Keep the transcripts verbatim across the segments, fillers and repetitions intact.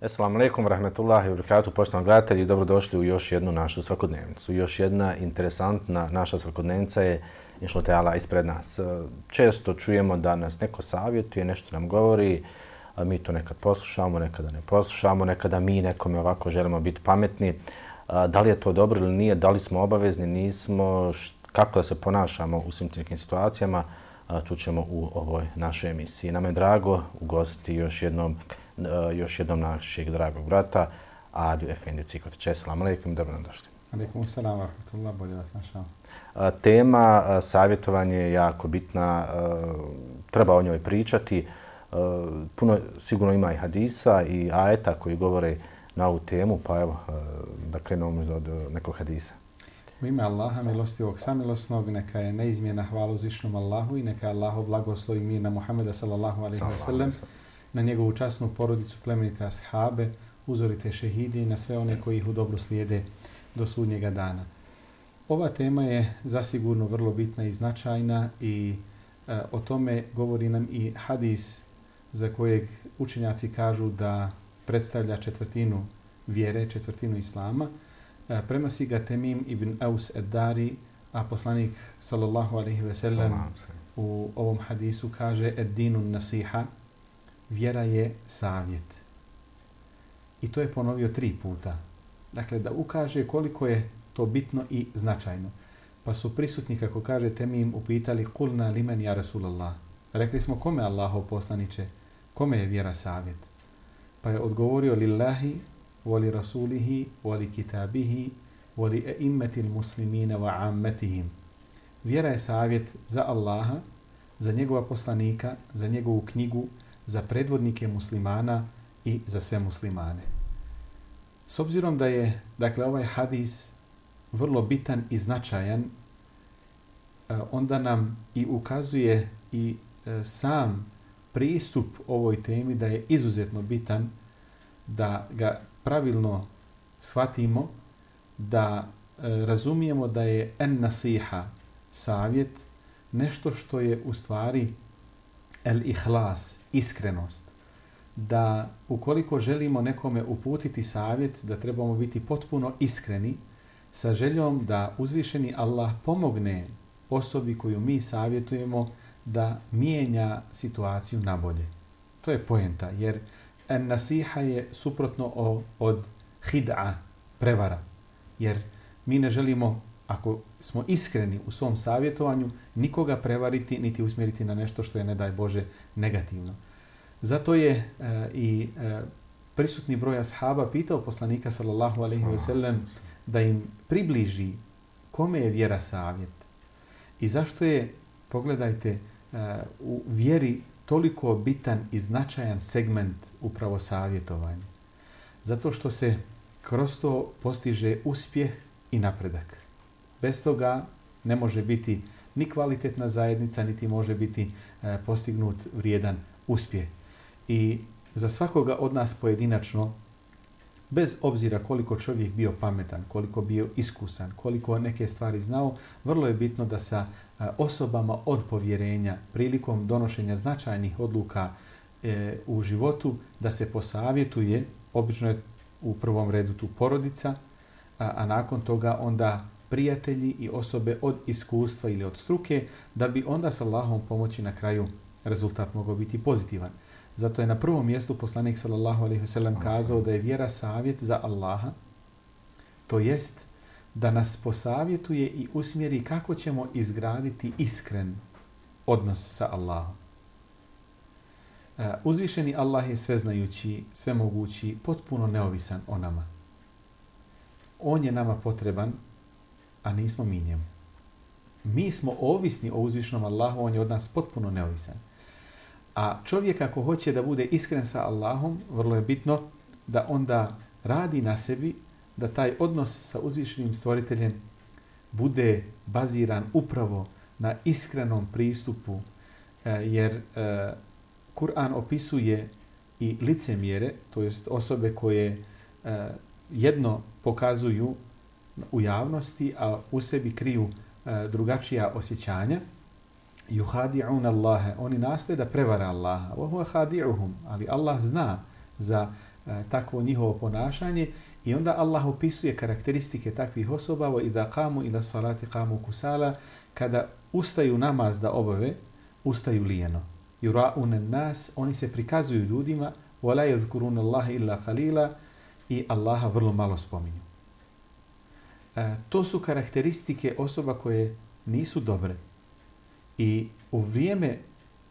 Assalamu alaikum warahmatullahi wabarakatuh, poštovani gledatelji, dobrodošli u još jednu našu svakodnevnicu. Još jedna interesantna naša svakodnevnica je inšallah ta'ala ispred nas. Često čujemo da nas neko savjetuje, nešto nam govori, a mi to nekad poslušamo, nekada ne poslušamo, nekada mi nekome ovako želimo biti pametni. Da li je to dobro ili nije, da li smo obavezni, nismo, kako da se ponašamo u svim nekim situacijama, čućemo u ovoj našoj emisiji. Nama je drago ugostiti još jednom još jednom našeg dragog brata, Adiju Efendiju Cikotića. Assalamu alaikum, dobro nam došli. Alaikum salam wa rahmatullah, bolje vas našao. Tema savjetovanje je jako bitna, treba o njoj pričati. Puno sigurno ima i hadisa i ajeta koji govore na ovu temu, pa evo da krenemo možda od nekog hadisa. U ime Allaha, milostivog samilosnog, neka je neizmjena hvala uzvišnom Allahu i neka je Allahu blagoslov i mir na Muhameda sallallahu alaihi wa sallam, na njegovu časnu porodicu, plemenite ashabe, uzorite šehidi i na sve one koji ih u dobro slijede do sudnjega dana. Ova tema je zasigurno vrlo bitna i značajna i e, o tome govori nam i hadis za kojeg učenjaci kažu da predstavlja četvrtinu vjere, četvrtinu islama. E, prenosi ga Temim ibn Aus ed-Dari, a poslanik sallallahu alaihi ve sellem u ovom hadisu kaže ed-dinun nasiha, vjera je savjet. I to je ponovio tri puta. Dakle, da ukaže koliko je to bitno i značajno. Pa su prisutni, kako kaže Temim, upitali kulna limen ja Rasulallah. Rekli smo, kome Allahov poslaniče, kome je vjera savjet? Pa je odgovorio lillahi, voli rasulihi, voli kitabihi, voli eimmetil muslimina wa ammetihim. Vjera je savjet za Allaha, za njegova poslanika, za njegovu knjigu, za predvodnike muslimana i za sve muslimane. S obzirom da je, dakle, ovaj hadis vrlo bitan i značajan, onda nam i ukazuje i sam pristup ovoj temi da je izuzetno bitan, da ga pravilno shvatimo, da razumijemo da je en nasiha, savjet, nešto što je u stvari el ihlas, iskrenost. Da ukoliko želimo nekome uputiti savjet, da trebamo biti potpuno iskreni sa željom da uzvišeni Allah pomogne osobi koju mi savjetujemo da mijenja situaciju na bolje. To je poenta, jer en nasiha je suprotno od hid'a, prevara. Jer mi ne želimo, ako smo iskreni u svom savjetovanju, nikoga prevariti niti usmjeriti na nešto što je, ne daj Bože, negativno. Zato je e, i e, prisutni broj ashaba pitao poslanika sallallahu alejhi ve sellem da im približi kome je vjera savjet. I zašto je, pogledajte, e, u vjeri toliko bitan i značajan segment upravo savjetovanja. Zato što se kroz to postiže uspjeh i napredak. Bez toga ne može biti ni kvalitetna zajednica, niti može biti e, postignut vrijedan uspjeh. I za svakoga od nas pojedinačno, bez obzira koliko čovjek bio pametan, koliko bio iskusan, koliko neke stvari znao, vrlo je bitno da sa e, osobama od povjerenja prilikom donošenja značajnih odluka e, u životu, da se posavjetuje, obično je u prvom redu tu porodica, a, a nakon toga onda prijatelji i osobe od iskustva ili od struke, da bi onda sa Allahom pomoći na kraju rezultat mogao biti pozitivan. Zato je na prvom mjestu poslanik sallallahu alejhi ve sellem kazao da je vjera savjet za Allaha, to jest da nas posavjetuje i usmjeri kako ćemo izgraditi iskren odnos sa Allahom. Uzvišeni Allah je sveznajući, svemogući, potpuno neovisan o nama. On je nama potreban, a nismo mi njemu. Mi smo ovisni o uzvišenom Allahu, on je od nas potpuno neovisan. A čovjek ako hoće da bude iskren sa Allahom, vrlo je bitno da onda radi na sebi da taj odnos sa uzvišenim stvoriteljem bude baziran upravo na iskrenom pristupu, jer Kur'an opisuje i licemjere, to jest osobe koje jedno pokazuju u javnosti, a u sebi kriju drugačija osjećanja. Yuhadi'un Allahe, oni nastoje da prevara Allaha. Wa huwa khadi'uhum, ali Allah zna za takvo njihovo ponašanje i onda Allah opisuje karakteristike takvih osoba. Wa idha qamu ila salati qamu kusala, kada ustaju namaz da obave, ustaju lijeno. Yura'un an-nas, oni se prikazuju ljudima, wa la yadhkuruna Allaha illa qalila, i Allaha vrlo malo spominju. E, to su karakteristike osoba koje nisu dobre. I u vrijeme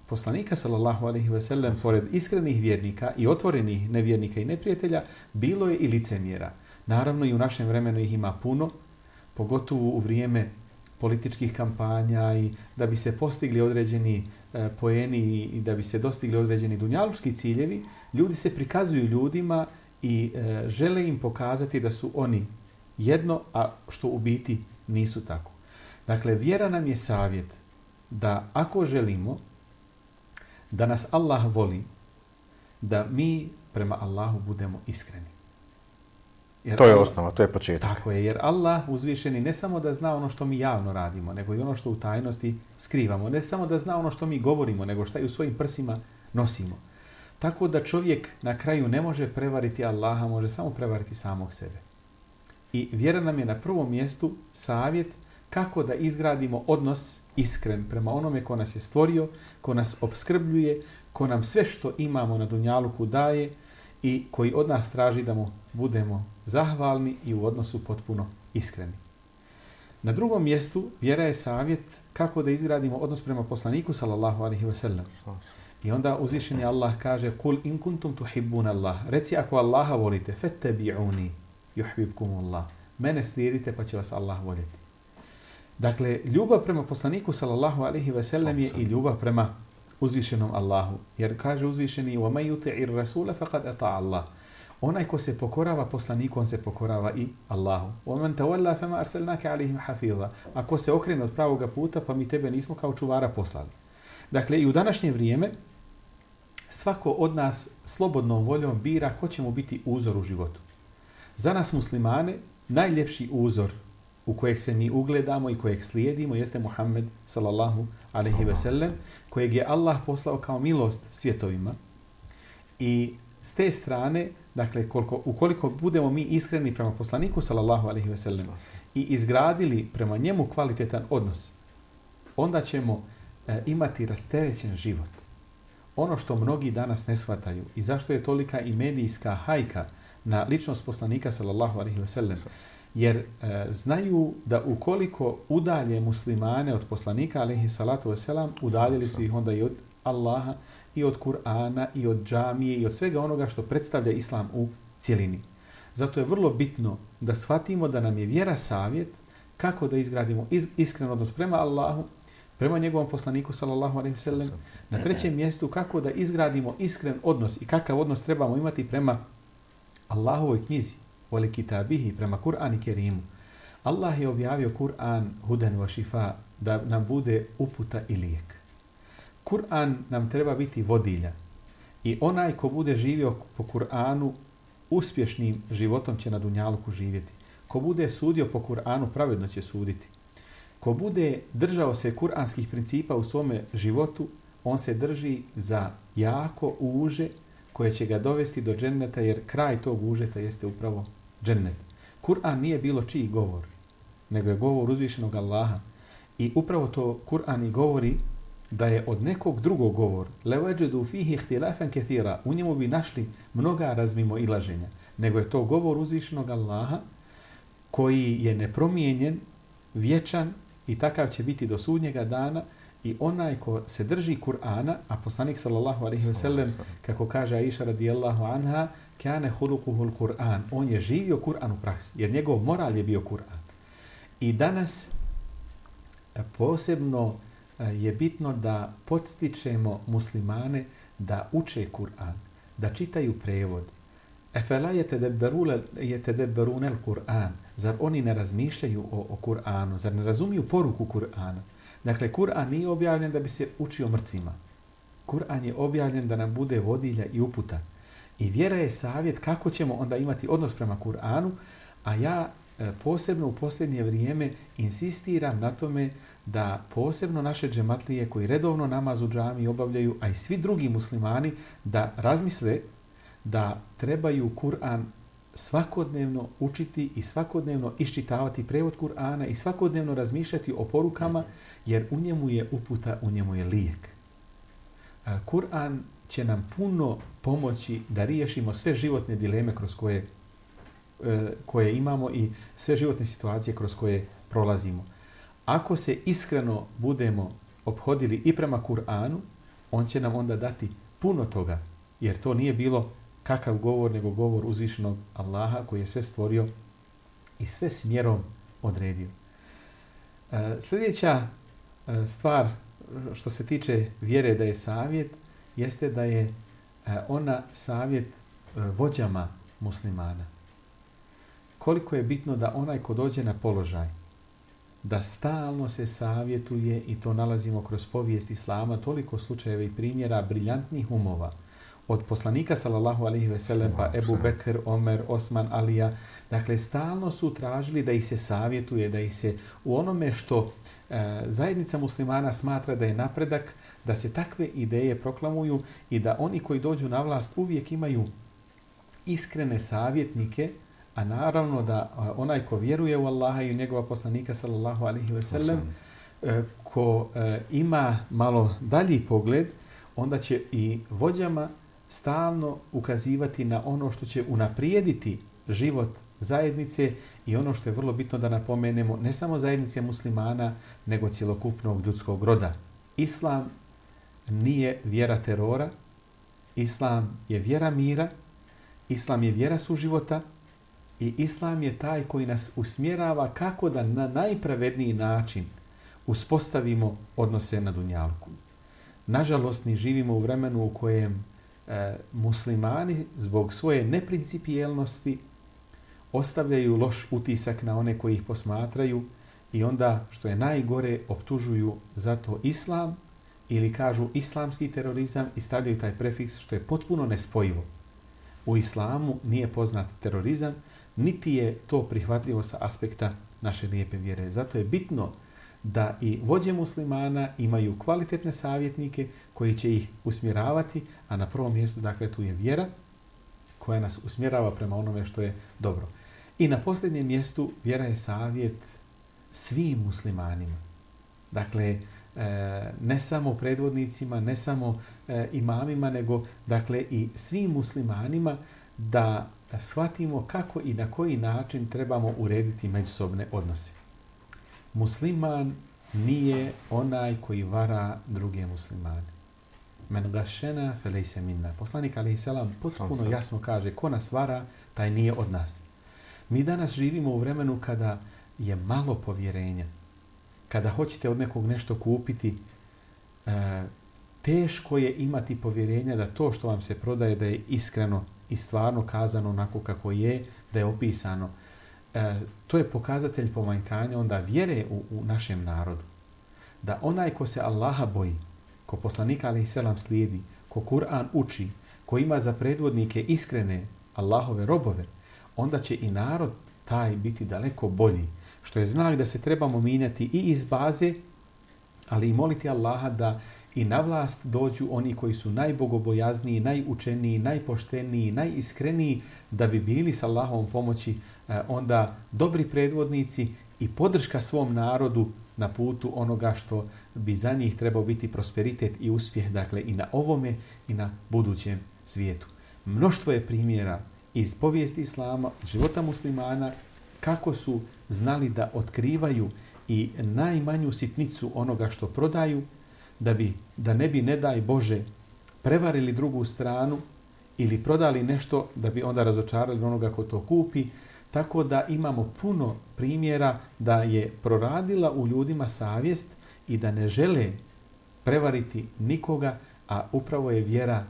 poslanika sallallahu alejhi ve sellem, pored iskrenih vjernika i otvorenih nevjernika i neprijatelja, bilo je i licemjera. Naravno i u našem vremenu ih ima puno, pogotovo u vrijeme političkih kampanja i da bi se postigli određeni e, poeni i da bi se dostigli određeni dunjaluški ciljevi, ljudi se prikazuju ljudima i e, žele im pokazati da su oni jedno, a što u biti nisu tako. Dakle, vjera nam je savjet da ako želimo da nas Allah voli, da mi prema Allahu budemo iskreni. Jer to je Allah, osnova, to je početak. Tako je, jer Allah uzvišeni ne samo da zna ono što mi javno radimo, nego i ono što u tajnosti skrivamo. Ne samo da zna ono što mi govorimo, nego što i u svojim prsima nosimo. Tako da čovjek na kraju ne može prevariti Allaha, može samo prevariti samog sebe. I vjera nam je na prvom mjestu savjet kako da izgradimo odnos iskren prema onome ko nas je stvorio, ko nas opskrbljuje, ko nam sve što imamo na dunjaluku daje i koji od nas traži da mu budemo zahvalni i u odnosu potpuno iskreni. Na drugom mjestu vjera je savjet kako da izgradimo odnos prema poslaniku sallallahu alejhi ve sellem. I onda uzvišeni Allah kaže: "Kul in kuntum tuhibbun Allah." Reci ako Allaha volite, fattabi'uni yuhibbukumullah. Mene slijedite pa će vas Allah voljeti. Dakle, ljubav prema poslaniku sallallahu alejhi ve sellem je i ljubav prema uzvišenom Allahu. Jer kaže uzvišeni: "Wa may yuti'ir rasula faqad ata'a Allah." Onaj ko se pokorava poslaniku, on se pokorava i Allahu. "Wa man tawalla fama arsalnaka alayhim hafiza." Ako se okrene od pravoga puta, pa mi tebe nismo kao čuvara poslali. Dakle, i u današnje vrijeme svako od nas slobodnom voljom bira ko će mu biti uzor u životu. Za nas muslimane najljepši uzor u kojeg se mi ugledamo i kojeg slijedimo jeste Muhammed sallallahu alejhi ve sellem, kojeg je Allah poslao kao milost svjetovima. I s te strane, dakle, koliko, ukoliko budemo mi iskreni prema poslaniku sallallahu alejhi ve sellem i izgradili prema njemu kvalitetan odnos, onda ćemo e, imati rasterećen život. Ono što mnogi danas ne shvataju i zašto je tolika i medijska hajka na ličnost poslanika sallallahu alejhi ve sellem, jer e, znaju da ukoliko udalje muslimane od poslanika alejhi salatu vesselam, udaljili su ih onda i od Allaha i od Kur'ana i od džamije i od svega onoga što predstavlja islam u cjelini. Zato je vrlo bitno da shvatimo da nam je vjera savjet kako da izgradimo iz, iskren odnos prema Allahu, prema njegovom poslaniku sallallahu alejhi ve sellem. Na trećem mjestu kako da izgradimo iskren odnos i kakav odnos trebamo imati prema Allahovoj knjizi, vole kitabihi, prema Kur'an i Kerimu. Allah je objavio Kur'an hudan wa šifa, da nam bude uputa i lijek. Kur'an nam treba biti vodilja i onaj ko bude živio po Kur'anu uspješnim životom će na dunjaluku živjeti. Ko bude sudio po Kur'anu pravedno će suditi. Ko bude držao se kur'anskih principa u svome životu, on se drži za jako uže koje će ga dovesti do dženneta, jer kraj tog užeta jeste upravo džennet. Kur'an nije bilo čiji govor, nego je govor uzvišenog Allaha. I upravo to Kur'an i govori da je od nekog drugog govor, levađedu fihi ihtilafan kathira, u njemu bi našli mnoga razmimo ilaženja, nego je to govor uzvišenog Allaha koji je nepromijenjen, vječan i takav će biti do sudnjega dana. I onaj ko se drži Kur'ana, a poslanik sallallahu alejhi ve sellem, kako kaže Aisha radijallahu anha, kane hulukuhul Kur'an, on je živio Kur'an u praksi, jer njegov moral je bio Kur'an. I danas posebno je bitno da podstičemo muslimane da uče Kur'an, da čitaju prevod. Efela yetedebberuna al-Kur'an. Zar oni ne razmišljaju o, o Kur'anu? Zar ne razumiju poruku Kur'ana? Dakle, Kur'an nije objavljen da bi se učio mrtvima. Kur'an je objavljen da nam bude vodilja i uputa. I vjera je savjet kako ćemo onda imati odnos prema Kur'anu, a ja e, posebno u posljednje vrijeme insistiram na tome da posebno naše džematlije koji redovno namaz u džami obavljaju, a i svi drugi muslimani, da razmisle da trebaju Kur'an svakodnevno učiti i svakodnevno iščitavati prevod Kur'ana i svakodnevno razmišljati o porukama, jer u njemu je uputa, u njemu je lijek. Kur'an će nam puno pomoći da riješimo sve životne dileme kroz koje, koje imamo i sve životne situacije kroz koje prolazimo. Ako se iskreno budemo ophodili i prema Kur'anu, on će nam onda dati puno toga, jer to nije bilo kakav govor, nego govor uzvišenog Allaha koji je sve stvorio i sve smjerom odredio. E, sljedeća e, stvar što se tiče vjere da je savjet, jeste da je e, ona savjet e, vođama muslimana. Koliko je bitno da onaj ko dođe na položaj, da stalno se savjetuje, i to nalazimo kroz povijest Islama, toliko slučajeva i primjera briljantnih umova, od poslanika sallallahu alejhi ve sellem pa Ebu Bekr, Omer, Osman, Alija. Dakle, stalno su tražili da ih se savjetuje, da ih se u onome što e, zajednica muslimana smatra da je napredak, da se takve ideje proklamuju i da oni koji dođu na vlast uvijek imaju iskrene savjetnike, a naravno da a, onaj ko vjeruje u Allaha i u njegova poslanika sallallahu alejhi ve sellem, e, ko e, ima malo dalji pogled, onda će i vođama stalno ukazivati na ono što će unaprijediti život zajednice i ono što je vrlo bitno da napomenemo, ne samo zajednice muslimana, nego cjelokupnog ljudskog roda. Islam nije vjera terora, Islam je vjera mira, Islam je vjera suživota i Islam je taj koji nas usmjerava kako da na najpravedniji način uspostavimo odnose na dunjalku. Nažalost, mi živimo u vremenu u kojem e, muslimani zbog svoje neprincipijelnosti ostavljaju loš utisak na one koji ih posmatraju i onda, što je najgore, optužuju za to islam ili kažu islamski terorizam i stavljaju taj prefiks, što je potpuno nespojivo. U islamu nije poznat terorizam, niti je to prihvatljivo sa aspekta naše lijepe vjere. Zato je bitno da i vođe muslimana imaju kvalitetne savjetnike koji će ih usmjeravati, a na prvom mjestu, dakle, tu je vjera koja nas usmjerava prema onome što je dobro. I na posljednjem mjestu vjera je savjet svim muslimanima. Dakle, ne samo predvodnicima, ne samo imamima, nego dakle i svim muslimanima da shvatimo kako i na koji način trebamo urediti međusobne odnose. Musliman nije onaj koji vara druge muslimane. Men gašena felejse minna. Poslanik alejhi selam potpuno jasno kaže, ko nas vara, taj nije od nas. Mi danas živimo u vremenu kada je malo povjerenja. Kada hoćete od nekog nešto kupiti, e, teško je imati povjerenja da to što vam se prodaje da je iskreno i stvarno kazano onako kako je, da je opisano. E, to je pokazatelj pomanjkanja onda vjere u, u našem narodu. Da onaj ko se Allaha boji, ko poslanika alejhi selam slijedi, ko Kur'an uči, ko ima za predvodnike iskrene Allahove robove, onda će i narod taj biti daleko bolji. Što je znak da se trebamo mijenjati i iz baze, ali i moliti Allaha da i na vlast dođu oni koji su najbogobojazniji, najučeniji, najpošteniji, najiskreniji, da bi bili s Allahovom pomoći eh, onda dobri predvodnici i podrška svom narodu na putu onoga što bi za njih trebao biti prosperitet i uspjeh, dakle i na ovome i na budućem svijetu. Mnoštvo je primjera iz povijesti Islama, života muslimana, kako su znali da otkrivaju i najmanju sitnicu onoga što prodaju, da bi da ne bi, ne daj Bože, prevarili drugu stranu ili prodali nešto da bi onda razočarali onoga ko to kupi. Tako da imamo puno primjera da je proradila u ljudima savjest i da ne žele prevariti nikoga, a upravo je vjera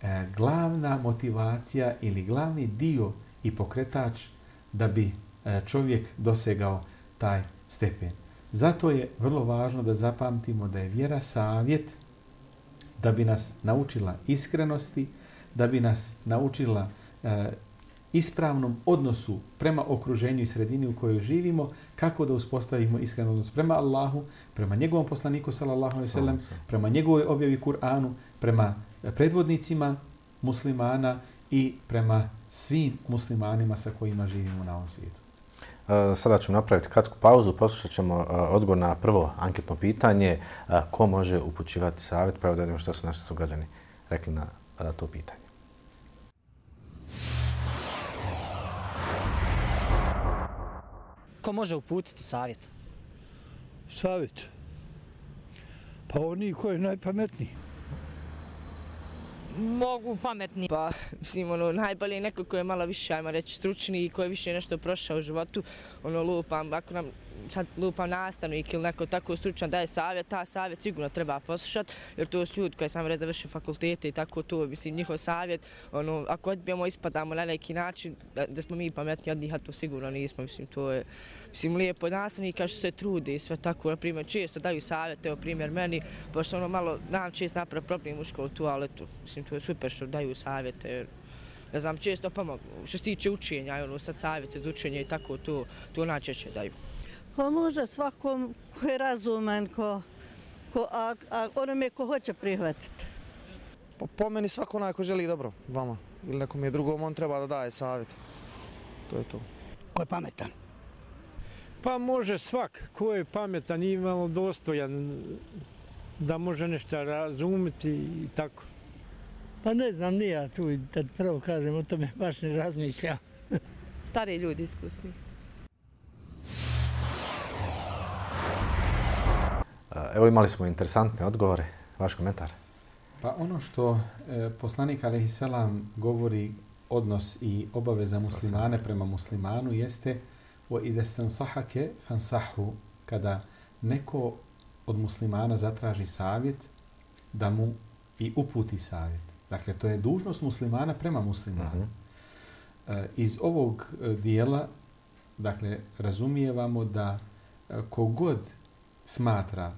e, glavna motivacija ili glavni dio i pokretač da bi e, čovjek dosegao taj stepen. Zato je vrlo važno da zapamtimo da je vjera savjet da bi nas naučila iskrenosti, da bi nas naučila e, ispravnom odnosu prema okruženju i sredini u kojoj živimo, kako da uspostavimo iskren odnos prema Allahu, prema njegovom poslaniku sallallahu alejhi ve sellem, prema njegovoj objavi Kur'anu, prema predvodnicima muslimana i prema svim muslimanima sa kojima živimo na ovom svijetu. Sada ćemo napraviti kratku pauzu, poslušat ćemo odgovor na prvo anketno pitanje. Ko može upućivati savjet? Pa evo da vidimo što su naši sugrađani rekli na to pitanje. Ko može uputiti savjet? Savjet? Pa oni koji je najpametniji. Mogu pametni. Pa, mislim, ono, najbolje je neko koji je malo više, ajmo reći, stručni i koji je više nešto prošao u životu. Ono, lupam, ako nam sad lupam nastavnik ili neko tako stručan daje savjet, ta savjet sigurno treba poslušati, jer to su ljudi koji sam reći završili fakultete i tako to, mislim, njihov savjet, ono, ako odbijemo, ispadamo na neki način, da, da smo mi pametni od njih, a to sigurno nismo, mislim, to je, mislim, lijepo od nastavnika što se trudi i sve tako, na primjer, često daju savjet, evo primjer meni, pošto ono malo, nam često napravi problem u školu tu, ali tu, mislim, to je super što daju savjete, jer, ne znam, često pomogu, što se tiče učenja, ono, sad savjete za učenje i tako, to, to najčešće daju. Pa može svakom ko je razuman, ko, ko, a, a onome ko hoće prihvatiti. Po, po meni svako onaj ko želi dobro vama ili nekom je drugom, on treba da daje savjet. To je to. Ko je pametan? Pa može svak ko je pametan i imalo dostojan da može nešto razumjeti i tako. Pa ne znam, nije ja tu, da prvo kažem, o tome baš ne razmišljam. Stari ljudi iskusni. Evo imali smo interesantne odgovore. Vaš komentar? Pa ono što e, poslanik alejhiselam govori odnos i obaveza muslimane prema muslimanu jeste o idestan sahake fansahu, kada neko od muslimana zatraži savjet da mu i uputi savjet. Dakle, to je dužnost muslimana prema muslimanu. Uh-huh. E, iz ovog dijela, dakle, razumijevamo da kogod smatra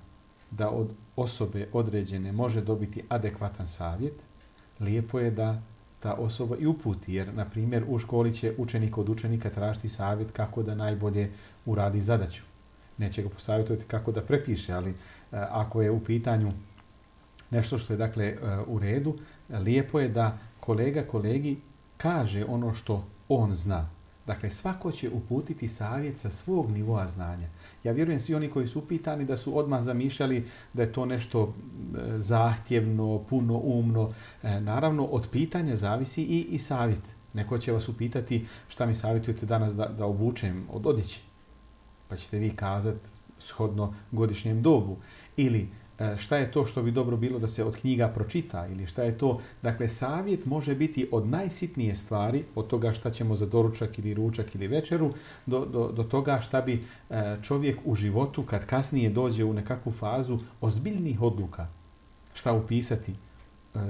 da od osobe određene može dobiti adekvatan savjet, lijepo je da ta osoba i uputi. Jer, na primjer, u školi će učenik od učenika tražiti savjet kako da najbolje uradi zadaću. Neće ga posavjetovati kako da prepiše, ali a, ako je u pitanju nešto što je, dakle, a, u redu, lijepo je da kolega kolegi kaže ono što on zna. Dakle, svako će uputiti savjet sa svog nivoa znanja. Ja vjerujem svi oni koji su upitani da su odmah zamišljali da je to nešto zahtjevno, puno umno. E, naravno, od pitanja zavisi i, i savjet. Neko će vas upitati šta mi savjetujete danas da, da obučem od odjeće. Pa ćete vi kazati shodno godišnjem dobu. Ili šta je to što bi dobro bilo da se od knjiga pročita ili šta je to. Dakle, savjet može biti od najsitnije stvari, od toga šta ćemo za doručak ili ručak ili večeru, do, do, do toga šta bi čovjek u životu, kad kasnije dođe u nekakvu fazu ozbiljnih odluka, šta upisati,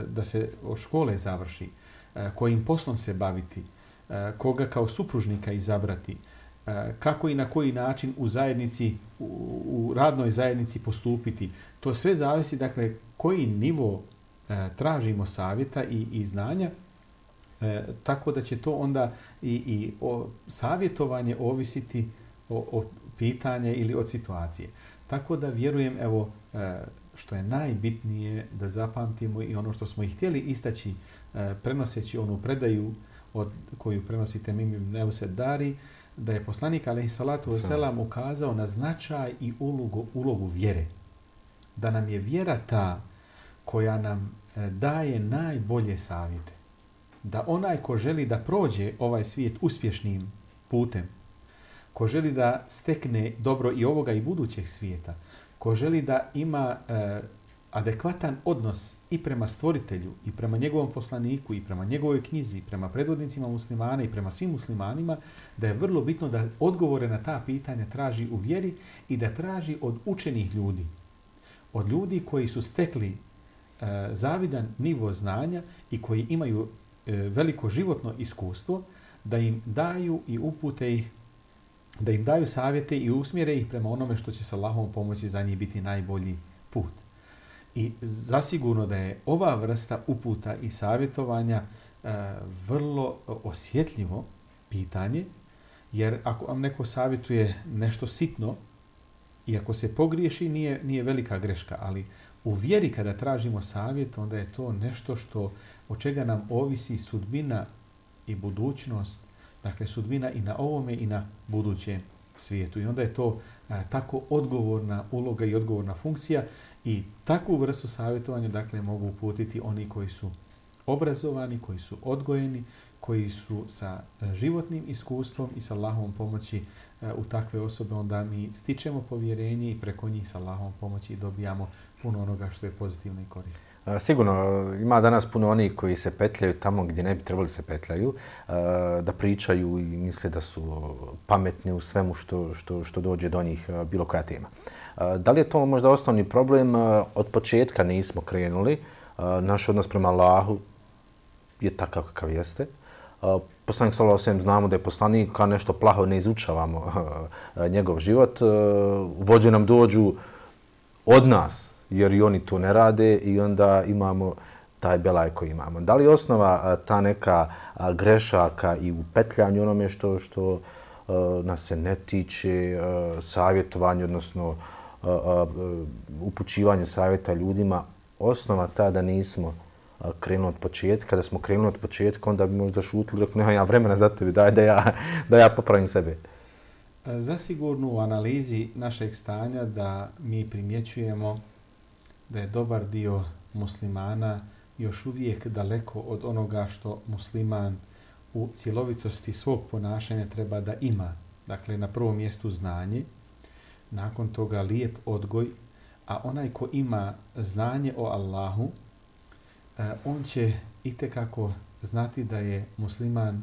da se od škole završi, kojim poslom se baviti, koga kao supružnika izabrati, kako i na koji način u zajednici, u, u radnoj zajednici postupiti. To sve zavisi, dakle, koji nivo e, tražimo savjeta i, i znanja, e, tako da će to onda i, i o, savjetovanje ovisiti o, o pitanje ili od situacije. Tako da vjerujem, evo, e, što je najbitnije da zapamtimo i ono što smo i htjeli istaći, e, prenoseći onu predaju od koju prenosite Mim ibn Eused Dari, da je poslanik alejhiselatu vesselam ukazao na značaj i ulogu, ulogu vjere. Da nam je vjera ta koja nam daje najbolje savjete. Da onaj ko želi da prođe ovaj svijet uspješnim putem, ko želi da stekne dobro i ovoga i budućeg svijeta, ko želi da ima e, adekvatan odnos i prema stvoritelju, i prema njegovom poslaniku, i prema njegovoj knjizi, i prema predvodnicima muslimana, i prema svim muslimanima, da je vrlo bitno da odgovore na ta pitanja traži u vjeri i da traži od učenih ljudi, od ljudi koji su stekli e, e, zavidan nivo znanja i koji imaju e, veliko životno iskustvo, da im daju i upute ih, da im daju savjete i usmjere ih prema onome što će sa Allahovom pomoći za njih biti najbolji put. I zasigurno da je ova vrsta uputa i savjetovanja e, vrlo osjetljivo pitanje, jer ako vam neko savjetuje nešto sitno, i ako se pogriješi, nije, nije velika greška, ali u vjeri kada tražimo savjet, onda je to nešto što od čega nam ovisi sudbina i budućnost, dakle sudbina i na ovome i na budućem svijetu. I onda je to a, tako odgovorna uloga i odgovorna funkcija i takvu vrstu savjetovanja dakle mogu uputiti oni koji su obrazovani, koji su odgojeni, koji su sa životnim iskustvom i sa Allahovom pomoći u takve osobe, onda mi stičemo povjerenje i preko njih sa Allahovom pomoći dobijamo puno onoga što je pozitivno i korisno. Sigurno, ima danas puno onih koji se petljaju tamo gdje ne bi trebali se petljaju, da pričaju i misle da su pametni u svemu što, što, što dođe do njih, bilo koja tema. Da li je to možda osnovni problem? Od početka nismo krenuli. Naš odnos prema Allahu je takav kakav jeste. Poslanik sallallahu alejhi ve sellem znamo da je poslanik, kao nešto plaho ne izučavamo njegov život. Vođe nam dođu od nas, jer i oni to ne rade i onda imamo taj belaj koji imamo. Da li je osnova ta neka grešaka i u petljanju onome što, što nas se ne tiče, savjetovanje, odnosno upućivanje savjeta ljudima, osnova ta da nismo krenuli od početka? Da smo krenuli od početka, onda bi možda šutili, rekao, nema ja vremena za tebi, daj da ja, da ja popravim sebe. Zasigurno u analizi našeg stanja da mi primjećujemo da je dobar dio muslimana još uvijek daleko od onoga što musliman u cjelovitosti svog ponašanja treba da ima. Dakle, na prvom mjestu znanje, nakon toga lijep odgoj, a onaj ko ima znanje o Allahu, on će itekako znati da je musliman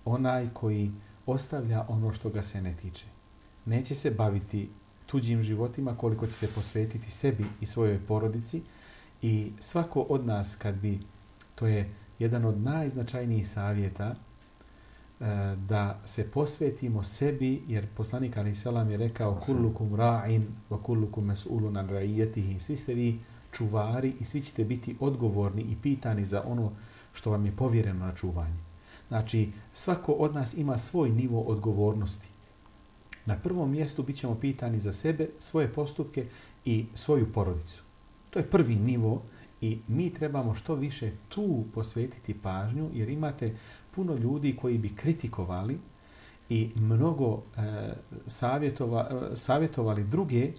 onaj koji ostavlja ono što ga se ne tiče. Neće se baviti tuđim životima koliko će se posvetiti sebi i svojoj porodici i svako od nas kad bi, to je jedan od najznačajnijih savjeta, da se posvetimo sebi, jer poslanik alejhi selam je rekao kullukum ra'in wa kullukum mas'ulun an ra'iyatihi, svi ste vi čuvari i svi ćete biti odgovorni i pitani za ono što vam je povjereno na čuvanje. Znači, svako od nas ima svoj nivo odgovornosti. Na prvom mjestu bit ćemo pitani za sebe, svoje postupke i svoju porodicu. To je prvi nivo i mi trebamo što više tu posvetiti pažnju, jer imate puno ljudi koji bi kritikovali i mnogo e, savjetova, e, savjetovali druge,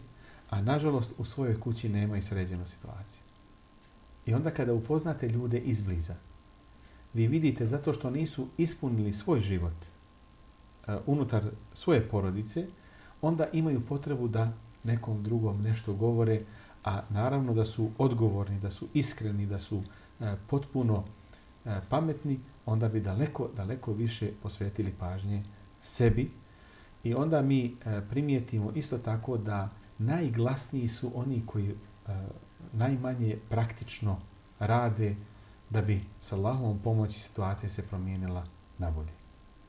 a nažalost u svojoj kući nemaju sređenu situaciju. I onda kada upoznate ljude izbliza, vi vidite zato što nisu ispunili svoj život uh, unutar svoje porodice, onda imaju potrebu da nekom drugom nešto govore, a naravno da su odgovorni, da su iskreni, da su uh, potpuno uh, pametni, onda bi daleko, daleko više posvetili pažnje sebi. I onda mi uh, primijetimo isto tako da najglasniji su oni koji uh, najmanje praktično rade da bi s Allahovom pomoći situacija se promijenila na bolje.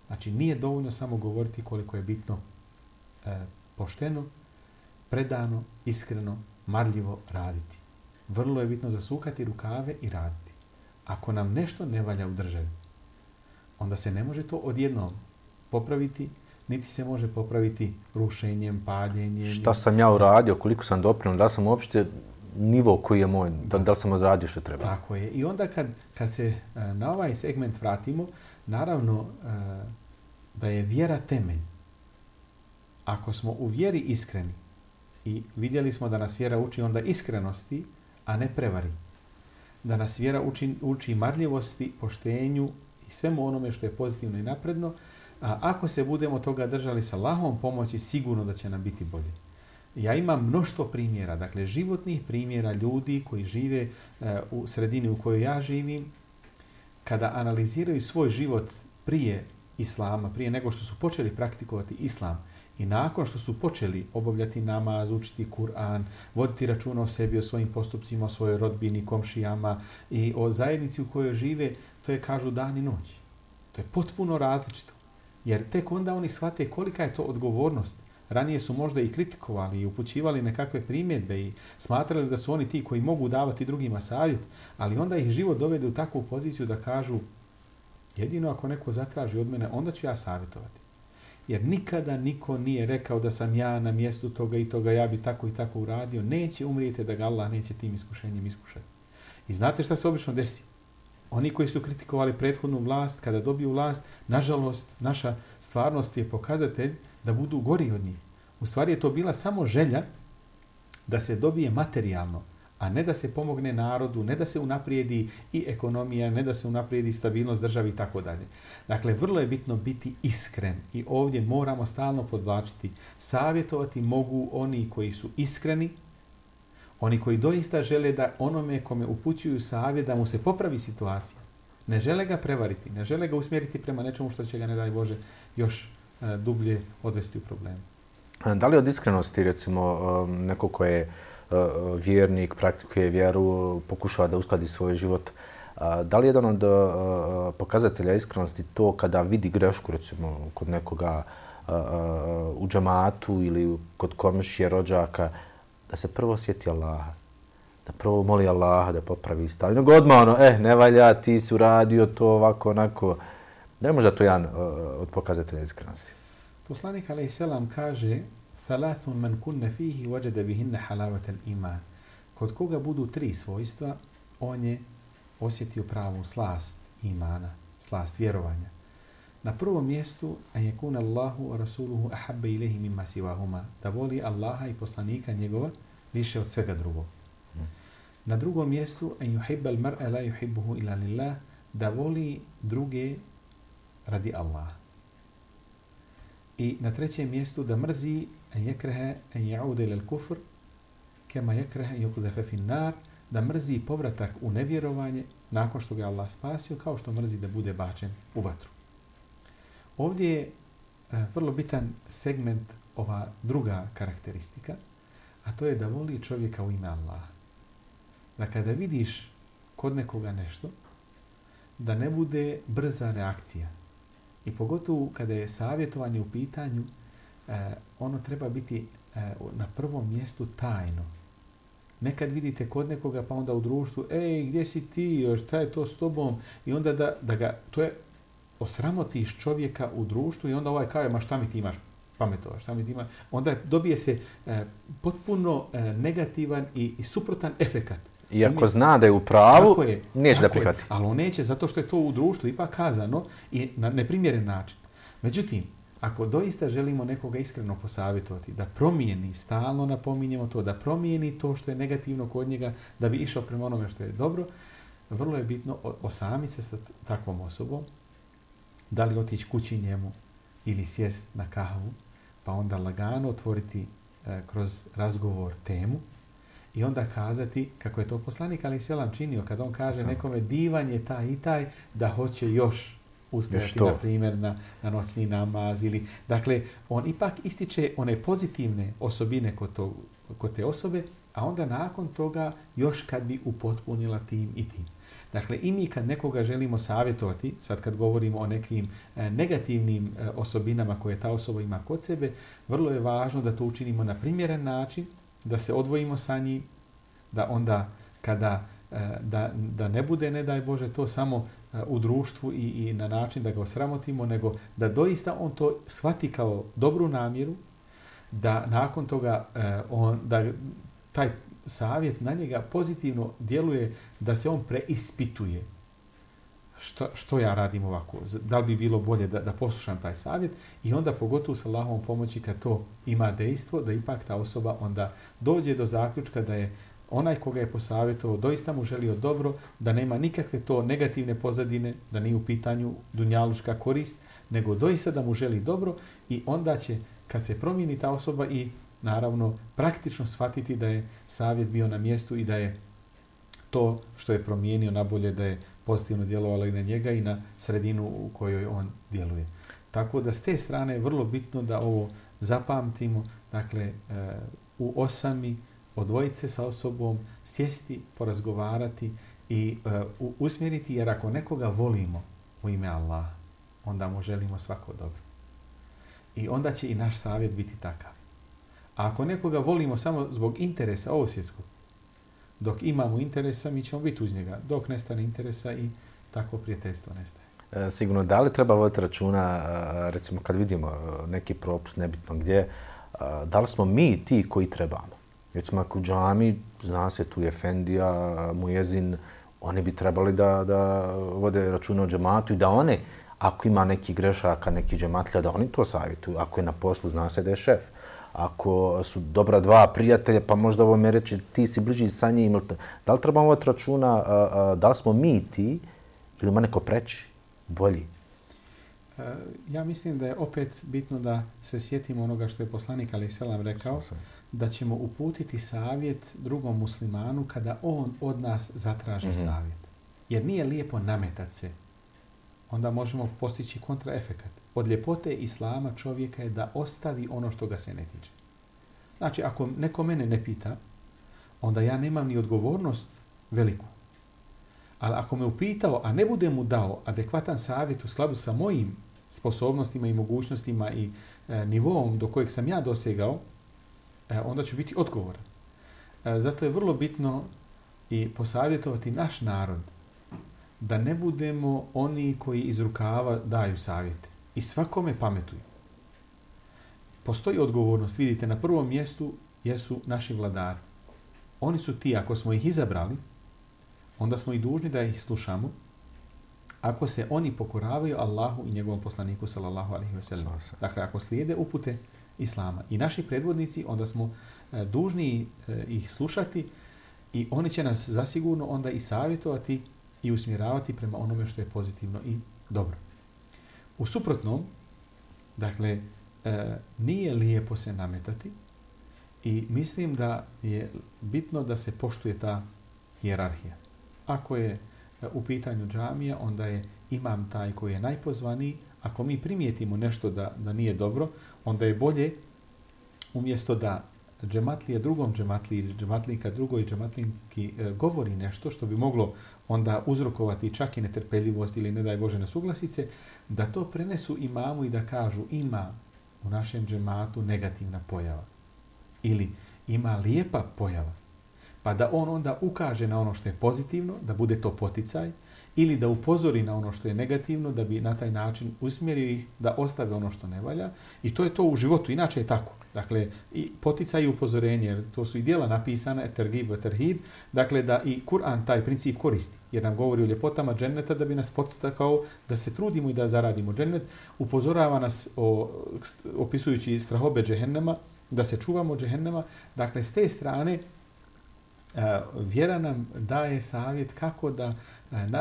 Znači, nije dovoljno samo govoriti koliko je bitno e, pošteno, predano, iskreno, marljivo raditi. Vrlo je bitno zasukati rukave i raditi. Ako nam nešto ne valja u državi, onda se ne može to odjednom popraviti, niti se može popraviti rušenjem, paljenjem. Šta sam ja uradio, koliko sam doprinio, da sam uopšte nivo koji je moj, da, da li sam odradio što treba. Tako je. I onda kad, kad se na ovaj segment vratimo, naravno da je vjera temelj. Ako smo u vjeri iskreni i vidjeli smo da nas vjera uči onda iskrenosti, a ne prevari. Da nas vjera uči, uči marljivosti, poštenju i svemu onome što je pozitivno i napredno, a ako se budemo toga držali sa Allahovom pomoći, sigurno da će nam biti bolje. Ja imam mnoštvo primjera, dakle životnih primjera ljudi koji žive uh, u sredini u kojoj ja živim, kada analiziraju svoj život prije Islama, prije nego što su počeli praktikovati Islam I nakon što su počeli obavljati namaz, učiti Kur'an, voditi računa o sebi, o svojim postupcima, o svojoj rodbini, komšijama i o zajednici u kojoj žive, to je, kažu, dan i noć. To je potpuno različito. Jer tek onda oni shvate kolika je to odgovornost. Ranije su možda i kritikovali i upućivali nekakve primjedbe i smatrali da su oni ti koji mogu davati drugima savjet, ali onda ih život dovede u takvu poziciju da kažu jedino ako neko zatraži od mene, onda ću ja savjetovati. Jer nikada niko nije rekao da sam ja na mjestu toga i toga, ja bi tako i tako uradio. Neće umrijeti da ga Allah neće tim iskušenjem iskušati. I znate šta se obično desi? Oni koji su kritikovali prethodnu vlast, kada dobiju vlast, nažalost, naša stvarnost je pokazatelj da budu gori od njih. U stvari je to bila samo želja da se dobije materijalno, a ne da se pomogne narodu, ne da se unaprijedi i ekonomija, ne da se unaprijedi stabilnost države i tako dalje. Dakle, vrlo je bitno biti iskren i ovdje moramo stalno podvlačiti. Savjetovati mogu oni koji su iskreni, oni koji doista žele da onome kome upućuju savjet da mu se popravi situacija. Ne žele ga prevariti, ne žele ga usmjeriti prema nečemu što će ga, ne daj Bože, još e, dublje odvesti u problemu. Da li od iskrenosti, recimo, neko ko je vjernik, praktikuje vjeru, pokušava da uskladi svoj život, da li je jedan od pokazatelja iskrenosti to kada vidi grešku, recimo, kod nekoga u džematu ili kod komšije, rođaka, da se prvo sjeti Allaha, da prvo moli Allaha da popravi stav. Nego odmah ono, eh, ne valja, ti si uradio to ovako, onako. Da je možda to jedan od pokazatelja iskrenosti? Poslanik alejhi selam kaže: "Thalathun man kunna fihi wajada bihinna halawata al-iman." Kod koga budu tri svojstva, on je osjetio pravu slast imana, slast vjerovanja. Na prvom mjestu an yakuna Allahu wa rasuluhu ahabba ilayhi mimma siwahuma, da voli Allaha i poslanika njegova više od svega drugog. Na drugom mjestu an yuhibba al-mar'a la yuhibbuhu illa lillah, da voli druge radi Allaha. I na trećem mjestu da mrzi an yakraha an ya'uda ila al-kufr kama yakraha an yuqdhafa fi an-nar, da mrzi povratak u nevjerovanje nakon što ga Allah spasio, kao što mrzi da bude bačen u vatru. Ovdje je vrlo bitan segment ova druga karakteristika, a to je da voli čovjeka u ime Allaha. Da kada vidiš kod nekoga nešto, da ne bude brza reakcija. I pogotovo kada je savjetovanje u pitanju, eh, ono treba biti eh, na prvom mjestu tajno. Nekad vidite kod nekoga pa onda u društvu, ej, gdje si ti, šta je to s tobom? I onda da, da ga, to je, osramotiš čovjeka u društvu i onda ovaj kaže, ma šta mi ti imaš pametova, šta mi ti imaš? Onda dobije se eh, potpuno eh, negativan i, i suprotan efekat. Iako zna da je u pravu, je, neće da prihvati. Ali on neće, zato što je to u društvu ipak kazano i na neprimjeren način. Međutim, ako doista želimo nekoga iskreno posavjetovati, da promijeni, stalno napominjemo to, da promijeni to što je negativno kod njega, da bi išao prema onome što je dobro, vrlo je bitno osamiti se sa takvom osobom, da li otići kući njemu ili sjest na kahvu, pa onda lagano otvoriti e, kroz razgovor temu i onda kazati, kako je to poslanik alejhi selam činio, kad on kaže nekome divan je taj i taj, da hoće još ustajati, na primjer, na, na noćni namaz. Ili, dakle, on ipak ističe one pozitivne osobine kod, to, kod te osobe, a onda nakon toga još kad bi upotpunila tim i tim. Dakle, i mi kad nekoga želimo savjetovati, sad kad govorimo o nekim e, negativnim e, osobinama koje ta osoba ima kod sebe, vrlo je važno da to učinimo na primjeren način, da se odvojimo sa njim, da onda kada e, da, da ne bude, ne daj Bože, to samo e, u društvu i, i na način da ga osramotimo, nego da doista on to shvati kao dobru namjeru, da nakon toga e, on, da taj savjet na njega pozitivno djeluje, da se on preispituje. Što, što ja radim ovako? Da li bi bilo bolje da, da poslušam taj savjet? I onda pogotovo sa Allahovom pomoći kad to ima dejstvo, da ipak ta osoba onda dođe do zaključka da je onaj koga je posavjetovao doista mu želio dobro, da nema nikakve to negativne pozadine, da nije u pitanju dunjaluška korist, nego doista da mu želi dobro i onda će, kad se promijeni ta osoba i naravno praktično shvatiti da je savjet bio na mjestu i da je to što je promijenio nabolje, da je pozitivno djelovalo i na njega i na sredinu u kojoj on djeluje. Tako da s te strane je vrlo bitno da ovo zapamtimo, dakle, u osami, odvojiti se sa osobom, sjesti, porazgovarati i uh, usmjeriti, jer ako nekoga volimo u ime Allaha, onda mu želimo svako dobro. I onda će i naš savjet biti takav. A ako nekoga volimo samo zbog interesa ovosvjetskog, dok imamo interesa, mi ćemo biti uz njega. Dok nestane interesa i tako prijateljstvo nestaje. E, sigurno, da li treba voditi računa, recimo kad vidimo neki propust, nebitno gdje, da li smo mi ti koji trebamo? Recimo, ako u džami, zna se tu je efendija, mujezin, oni bi trebali da, da vode računa o džematu i da one, ako ima neki grešaka, neki džematlja, da oni to savjetuju. Ako je na poslu, zna se da je šef. Ako su dobra dva prijatelja, pa možda ovo me reći ti si bliži sa njim. Da li trebamo voditi računa, da li smo mi ti ili ima neko preći, bolji? Ja mislim da je opet bitno da se sjetimo onoga što je poslanik alejhi selam rekao, da ćemo uputiti savjet drugom muslimanu kada on od nas zatraži mm-hmm. savjet. Jer nije lijepo nametati se. Onda možemo postići kontraefekat. Od ljepote islama čovjeka je da ostavi ono što ga se ne tiče. Znači, ako neko mene ne pita, onda ja nemam ni odgovornost veliku. Ali ako me upitao, a ne bude mu dao adekvatan savjet u skladu sa mojim sposobnostima i mogućnostima i e, nivom do kojeg sam ja dosegao, e, onda ću biti odgovoran. E, zato je vrlo bitno i posavjetovati naš narod da ne budemo oni koji iz rukava daju savjete i svakome pametuju. Postoji odgovornost, vidite, na prvom mjestu jesu naši vladari. Oni su ti, ako smo ih izabrali, onda smo i dužni da ih slušamo, ako se oni pokoravaju Allahu i njegovom poslaniku sallallahu alejhi ve sellem. Dakle, ako slijede upute islama i naši predvodnici, onda smo e, dužni e, ih slušati i oni će nas zasigurno onda i savjetovati i usmjeravati prema onome što je pozitivno i dobro. U suprotnom, dakle, e, nije lijepo se nametati i mislim da je bitno da se poštuje ta hijerarhija. Ako je u pitanju džamija, onda je imam taj koji je najpozvaniji. Ako mi primijetimo nešto da, da nije dobro, onda je bolje umjesto da džematlija drugom džematliji ili džematlika drugoj džematlinki e, govori nešto što bi moglo onda uzrokovati čak i netrpeljivost ili ne daj Bože nesuglasice, da to prenesu imamu i da kažu ima u našem džematu negativna pojava ili ima lijepa pojava. Pa da on onda ukaže na ono što je pozitivno, da bude to poticaj, ili da upozori na ono što je negativno, da bi na taj način usmjerio ih da ostave ono što ne valja. I to je to u životu, inače je tako. Dakle, i poticaj i upozorenje, jer to su i djela napisana, tergib, terhib, dakle da i Kur'an taj princip koristi, jer nam govori o ljepotama dženneta da bi nas podstakao da se trudimo i da zaradimo džennet, upozorava nas o, opisujući strahobe džehennema, da se čuvamo džehennema. Dakle, s te strane, vjera nam daje savjet kako da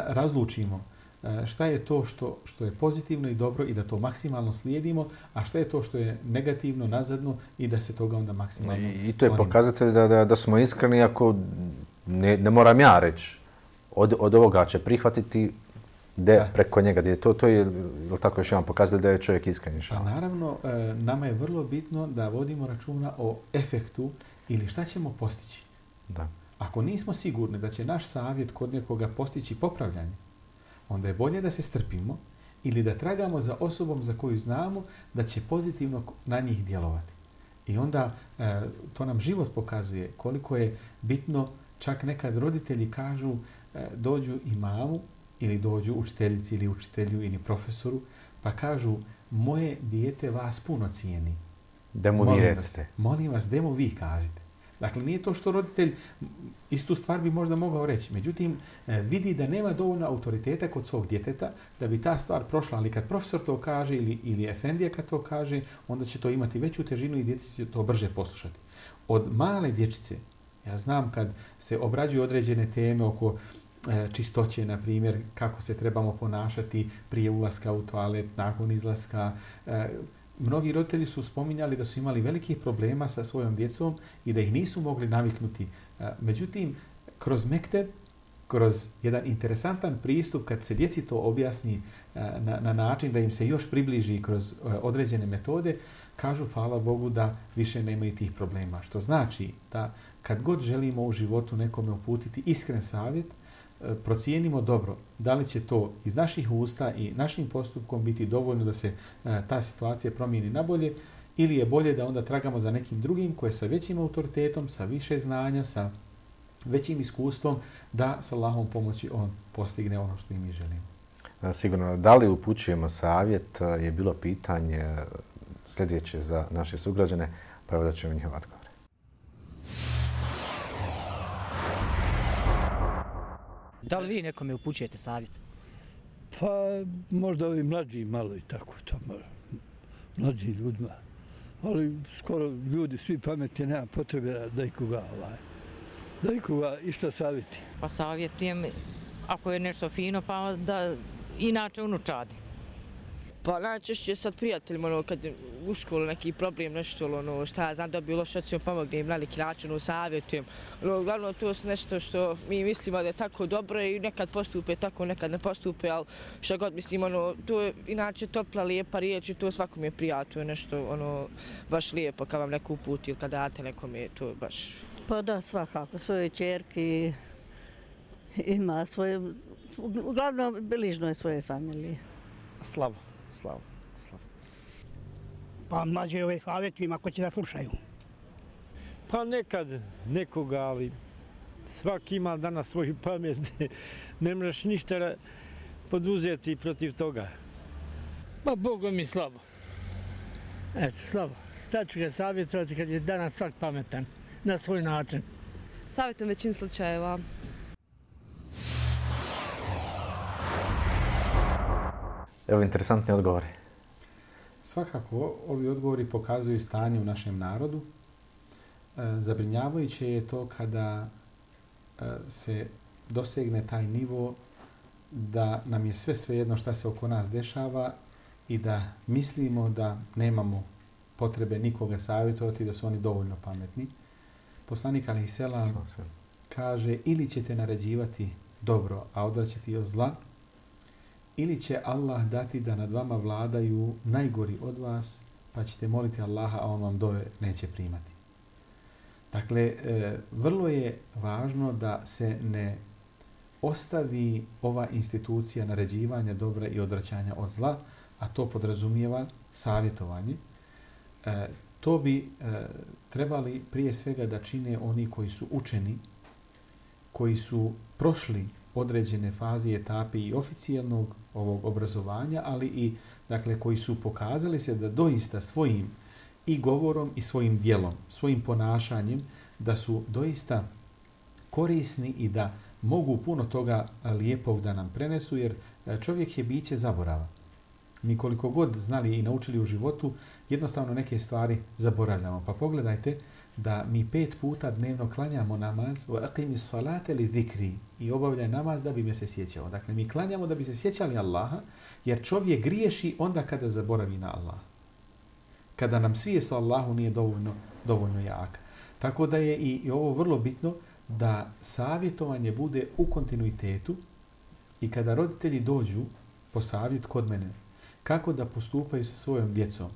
razlučimo šta je to što, što je pozitivno i dobro i da to maksimalno slijedimo, a šta je to što je negativno, nazadno i da se toga onda maksimalno I, i to je pokazatelj da, da, da smo iskreni ako ne, ne moram ja reći od, od ovoga će prihvatiti de, preko njega. De, to, to je, je tako još jedan pokazatelj da je čovjek iskren. A naravno, nama je vrlo bitno da vodimo računa o efektu ili šta ćemo postići. Da. Ako nismo sigurni da će naš savjet kod nekoga postići popravljanje, onda je bolje da se strpimo ili da tragamo za osobom za koju znamo da će pozitivno na njih djelovati. I onda e, to nam život pokazuje koliko je bitno, čak nekad roditelji kažu e, dođu imamu ili dođu učiteljici ili učitelju ili profesoru, pa kažu moje dijete vas puno cijeni. Demo vi recite. Molim vas, demo vi kažite. Dakle, nije to što roditelj istu stvar bi možda mogao reći. Međutim, vidi da nema dovoljno autoriteta kod svog djeteta da bi ta stvar prošla. Ali kad profesor to kaže ili, ili efendija kad to kaže, onda će to imati veću težinu i djeci će to brže poslušati. Od male dječice, ja znam kad se obrađuju određene teme oko e, čistoće, na primjer, kako se trebamo ponašati prije ulaska u toalet, nakon izlaska, e, mnogi roditelji su spominjali da su imali velikih problema sa svojom djecom i da ih nisu mogli naviknuti. Međutim, kroz mekteb kroz jedan interesantan pristup kad se djeci to objasni na, na način da im se još približi kroz određene metode, kažu hvala Bogu da više nemaju tih problema. Što znači da kad god želimo u životu nekome uputiti iskren savjet, procijenimo dobro da li će to iz naših usta i našim postupkom biti dovoljno da se ta situacija promijeni na bolje, ili je bolje da onda tragamo za nekim drugim koje sa većim autoritetom, sa više znanja, sa većim iskustvom, da sa Allahovom pomoći on postigne ono što i mi želimo. Sigurno, da li upućujemo savjet je bilo pitanje sljedeće za naše sugrađane, pa evo da ćemo njihov odgovor. Da li vi nekome upućujete savjet? Pa možda ovi mlađi malo i tako, tamo, mlađi ljudima. Ali skoro ljudi svi pametni, nema potrebe da ikoga, ovaj, da ikoga išta savjeti. Pa savjetujem, ako je nešto fino, pa da inače unučadi. Pa najčešće sad prijateljima, ono, kad u školu neki problem, nešto, ono, šta ja znam, dobiju lošu ocjenu, pomognem na neki način, ono, savjetujem. Ono, uglavnom, to je nešto što mi mislimo da je tako dobro i nekad postupe tako, nekad ne postupe, ali što god mislim, ono, to je inače topla, lijepa riječ i to svakom je prijatno, nešto, ono, baš lijepo kad vam neko uputi ili kad date nekome, to je baš... Pa da, svakako, svojoj čerki ima svoje, uglavnom bližnoj svoje familije. Slabo. Slabo, slabo. Pa mlađe ove savjetujem ako će da slušaju. Pa nekad nekoga, ali svaki ima danas svoju pamet. Ne možeš ništa poduzeti protiv toga. Pa Boga mi slabo. Eto, slabo. Sad ću ga savjetovati kad je danas svak pametan na svoj način. Savjetujem većini slučajeva. Evo interesantni odgovori. Svakako, ovi odgovori pokazuju stanje u našem narodu. E, zabrinjavajuće je to kada e, se dosegne taj nivo da nam je sve svejedno šta se oko nas dešava i da mislimo da nemamo potrebe nikoga savjetovati, da su oni dovoljno pametni. Poslanik alejhi selam kaže ili ćete naređivati dobro, a odvraćati od zla, ili će Allah dati da nad vama vladaju najgori od vas, pa ćete moliti Allaha, a on vam dove neće primati. Dakle, e, vrlo je važno da se ne ostavi ova institucija naređivanja dobra i odvraćanja od zla, a to podrazumijeva savjetovanje. E, to bi e, trebali prije svega da čine oni koji su učeni, koji su prošli određene faze i etape i oficijalnog ovog obrazovanja, ali i dakle koji su pokazali se da doista svojim i govorom i svojim djelom, svojim ponašanjem, da su doista korisni i da mogu puno toga lijepog da nam prenesu, jer čovjek je biće zaborava. Mi koliko god znali i naučili u životu, jednostavno neke stvari zaboravljamo. Pa pogledajte da mi pet puta dnevno klanjamo namaz, wa aqimi salate li zikri, i obavljaj namaz da bi me se sjećao. Dakle, mi klanjamo da bi se sjećali Allaha, jer čovjek griješi onda kada zaboravi na Allaha. Kada nam svijest o Allahu nije dovoljno, dovoljno jaka. Tako da je i, i ovo vrlo bitno da savjetovanje bude u kontinuitetu i kada roditelji dođu po savjet kod mene, kako da postupaju sa svojom djecom,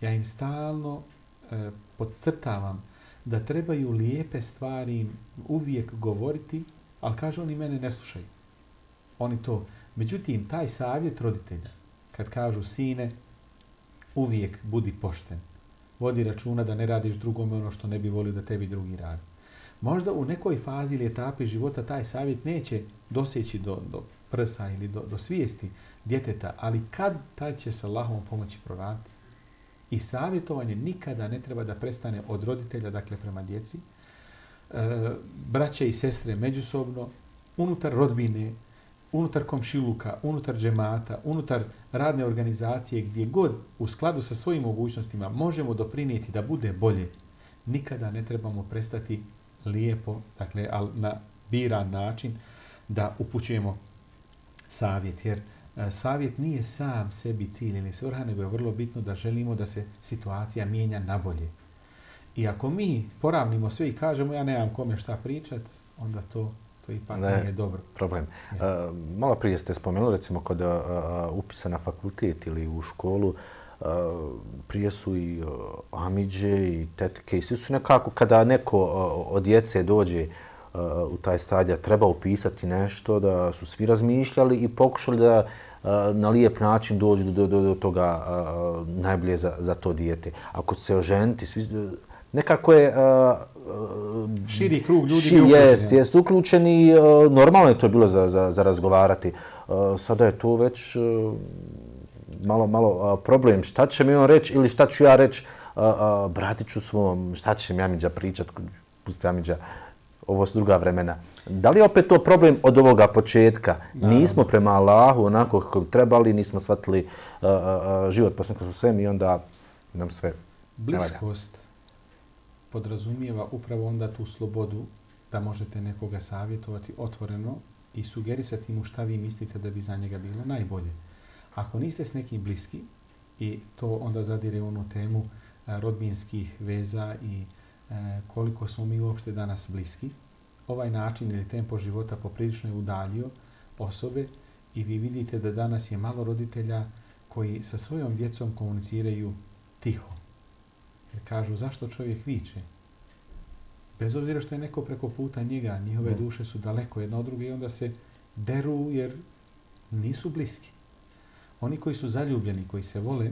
ja im stalno e, podcrtavam da trebaju lijepe stvari uvijek govoriti, ali kažu oni mene ne slušaju. Oni to. Međutim, taj savjet roditelja, kad kažu sine, uvijek budi pošten. Vodi računa da ne radiš drugome ono što ne bi volio da tebi drugi radi. Možda u nekoj fazi ili etapi života taj savjet neće doseći do, do prsa ili do, do svijesti djeteta, ali kad taj će se Allahom pomoći proraditi. I savjetovanje nikada ne treba da prestane od roditelja, dakle prema djeci, e, braće i sestre međusobno, unutar rodbine, unutar komšiluka, unutar džemata, unutar radne organizacije, gdje god u skladu sa svojim mogućnostima možemo doprinijeti da bude bolje, nikada ne trebamo prestati lijepo, dakle na biran način, da upućujemo savjet. Jer savjet nije sam sebi cilj ili svrha, nego je vrlo bitno da želimo da se situacija mijenja na bolje. I ako mi poravnimo sve i kažemo ja nemam kome šta pričat, onda to, To ipak ne, nije dobro. Problem. Uh, malo prije ste spomenuli, recimo, kod uh, upisa na fakultet ili u školu, uh, prije su i uh, amidže i tetke i svi su nekako, kada neko uh, od djece dođe uh, u taj stadija, treba upisati nešto, da su svi razmišljali i pokušali da uh, na lijep način dođu do, do, do toga uh, najbolje za, za to dijete. Ako se oženiti, svi, nekako je uh, širi krug ljudi ši, jest, jest uključeni. Uh, normalno je to bilo za, za, za razgovarati. Uh, sada je to već uh, malo, malo uh, problem. Šta će mi on reći ili šta ću ja reći uh, uh, bratiću svom, šta će mi Amidža pričat, pusti Amidža, ovo su druga vremena. Da li je opet to problem od ovoga početka? Da. Nismo prema Allahu onako kako bi trebali, nismo shvatili uh, uh, život poslanika sa svem i onda nam sve bliskost podrazumijeva upravo onda tu slobodu da možete nekoga savjetovati otvoreno i sugerisati mu šta vi mislite da bi za njega bilo najbolje. Ako niste s nekim bliski, i to onda zadire u onu temu a, rodbinskih veza i a, koliko smo mi uopšte danas bliski, ovaj način ili tempo života poprilično je udaljio osobe i vi vidite da danas je malo roditelja koji sa svojom djecom komuniciraju tiho. Jer kažu, zašto čovjek viče? Bez obzira što je neko preko puta njega, njihove mm. duše su daleko jedna od druge i onda se deru jer nisu bliski. Oni koji su zaljubljeni, koji se vole,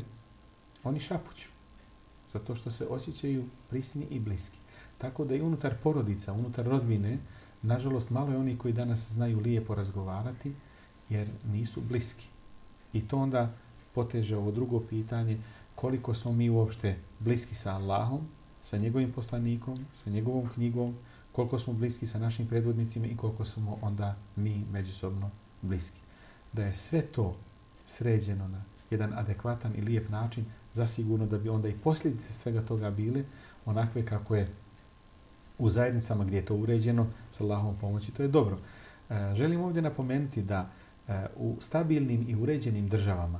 oni šapuću. Zato što se osjećaju prisni i bliski. Tako da i unutar porodica, unutar rodbine, nažalost, malo je oni koji danas znaju lijepo razgovarati jer nisu bliski. I to onda poteže ovo drugo pitanje, koliko smo mi uopšte bliski sa Allahom, sa njegovim poslanikom, sa njegovom knjigom, koliko smo bliski sa našim predvodnicima i koliko smo onda mi međusobno bliski. Da je sve to sređeno na jedan adekvatan i lijep način, zasigurno da bi onda i posljedice svega toga bile onakve kako je u zajednicama gdje je to uređeno, sa Allahovom pomoći, to je dobro. E, želim ovdje napomenuti da e, u stabilnim i uređenim državama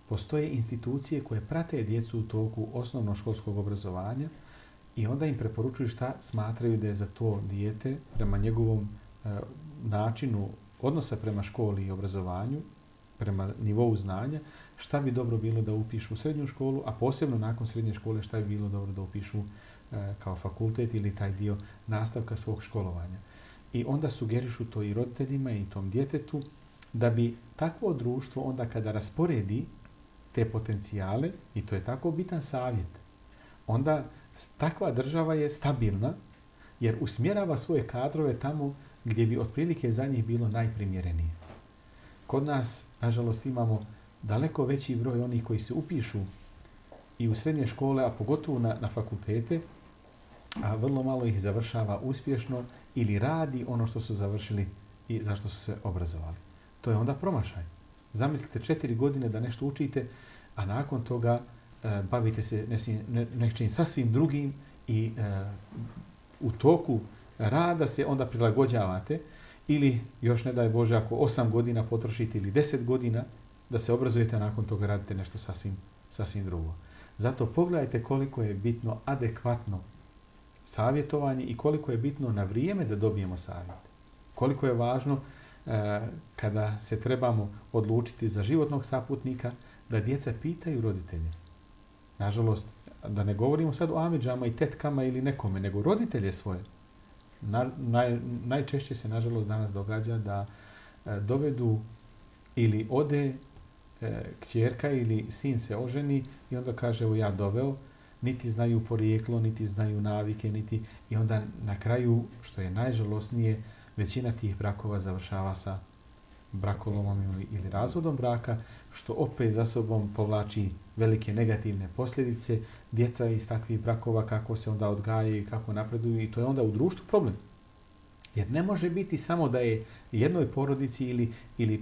postoje institucije koje prate djecu u toku osnovnoškolskog obrazovanja i onda im preporučuju šta smatraju da je za to dijete prema njegovom e, načinu odnosa prema školi i obrazovanju, prema nivou znanja, šta bi dobro bilo da upišu u srednju školu, a posebno nakon srednje škole šta bi bilo dobro da upišu e, kao fakultet ili taj dio nastavka svog školovanja. I onda sugerišu to i roditeljima i tom djetetu da bi takvo društvo onda kada rasporedi te potencijale, i to je tako bitan savjet, onda takva država je stabilna jer usmjerava svoje kadrove tamo gdje bi otprilike za njih bilo najprimjerenije. Kod nas, nažalost, imamo daleko veći broj onih koji se upišu i u srednje škole, a pogotovo na, na fakultete, a vrlo malo ih završava uspješno ili radi ono što su završili i zašto su se obrazovali. To je onda promašaj. Zamislite četiri godine da nešto učite, a nakon toga e, bavite se ne, nečim sasvim drugim i e, u toku rada se onda prilagođavate ili još ne daj Bože ako osam godina potrošite ili deset godina da se obrazujete, a nakon toga radite nešto sasvim, sasvim drugo. Zato pogledajte koliko je bitno adekvatno savjetovanje i koliko je bitno na vrijeme da dobijemo savjet. Koliko je važno e, kada se trebamo odlučiti za životnog saputnika da djeca pitaju roditelje. Nažalost, da ne govorimo sad o amidžama i tetkama ili nekome, nego roditelje svoje. Na, naj, najčešće se, nažalost, danas događa da e, dovedu ili ode e, kćerka ili sin se oženi i onda kaže, evo ja doveo, niti znaju porijeklo, niti znaju navike, niti i onda na kraju, što je najžalosnije, većina tih brakova završava sa brakolomom ili, ili razvodom braka, što opet za sobom povlači velike negativne posljedice. Djeca iz takvih brakova kako se onda odgajaju i kako napreduju i to je onda u društvu problem. Jer ne može biti samo da je jednoj porodici ili, ili e,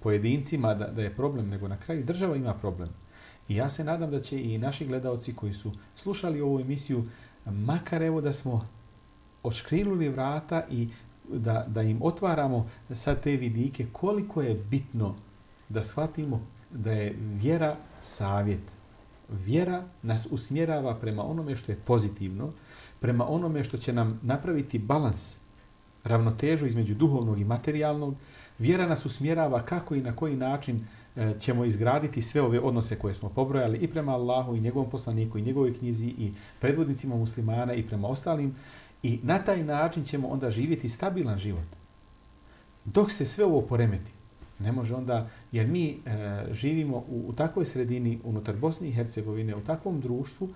pojedincima da, da je problem, nego na kraju država ima problem. I ja se nadam da će i naši gledaoci koji su slušali ovu emisiju, makar evo da smo odškriluli vrata i da, da im otvaramo sad te vidike, koliko je bitno da shvatimo da je vjera savjet. Vjera nas usmjerava prema onome što je pozitivno, prema onome što će nam napraviti balans ravnotežu između duhovnog i materijalnog. Vjera nas usmjerava kako i na koji način e, ćemo izgraditi sve ove odnose koje smo pobrojali i prema Allahu i njegovom poslaniku i njegovoj knjizi i predvodnicima muslimana i prema ostalim. I na taj način ćemo onda živjeti stabilan život. Dok se sve ovo poremeti, ne može onda, jer mi e, živimo u, u takvoj sredini unutar Bosne i Hercegovine, u takvom društvu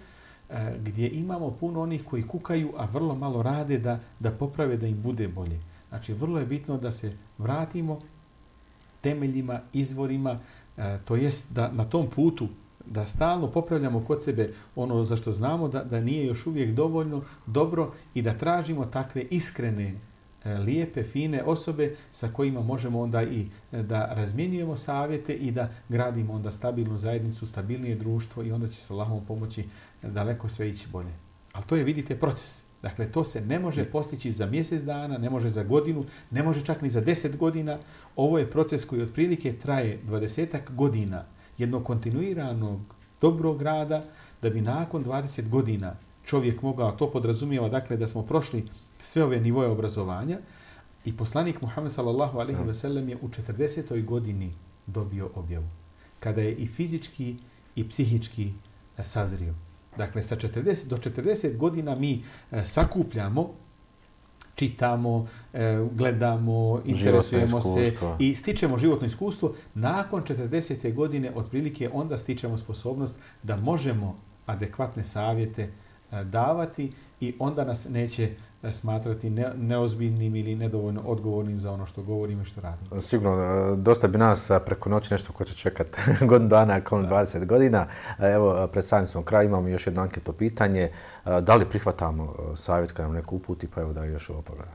e, gdje imamo puno onih koji kukaju, a vrlo malo rade da, da poprave da im bude bolje. Znači, vrlo je bitno da se vratimo temeljima, izvorima, e, to jest da na tom putu da stalno popravljamo kod sebe ono za što znamo da, da nije još uvijek dovoljno dobro i da tražimo takve iskrene, lijepe, fine osobe sa kojima možemo onda i da razmjenjujemo savjete i da gradimo onda stabilnu zajednicu, stabilnije društvo i onda će se Allahom pomoći daleko sve ići bolje. Ali to je, vidite, proces. Dakle, to se ne može postići za mjesec dana, ne može za godinu, ne može čak ni za deset godina. Ovo je proces koji otprilike traje dvadesetak godina jednog kontinuiranog dobrog rada da bi nakon dvadeset godina čovjek mogao, to podrazumijeva dakle da smo prošli sve ove nivoje obrazovanja i poslanik Muhammed sallallahu alejhi ve sellem je u četrdesetoj godini dobio objavu. Kada je i fizički i psihički sazrio. Dakle, sa četrdeset do četrdeset godina mi sakupljamo, čitamo, gledamo, interesujemo se i stičemo životno iskustvo. Nakon četrdesete godine otprilike onda stičemo sposobnost da možemo adekvatne savjete davati i onda nas neće smatrati ne, neozbiljnim ili nedovoljno odgovornim za ono što govorimo i što radimo. Sigurno, dosta bi nas preko noći nešto ko će čekati godinu dana, ako dvadeset godina. Evo, pred samim smo kraj, imamo još jedno anketno pitanje. Da li prihvatamo savjet kada nam neko uputi, pa evo da još ovo pogledam.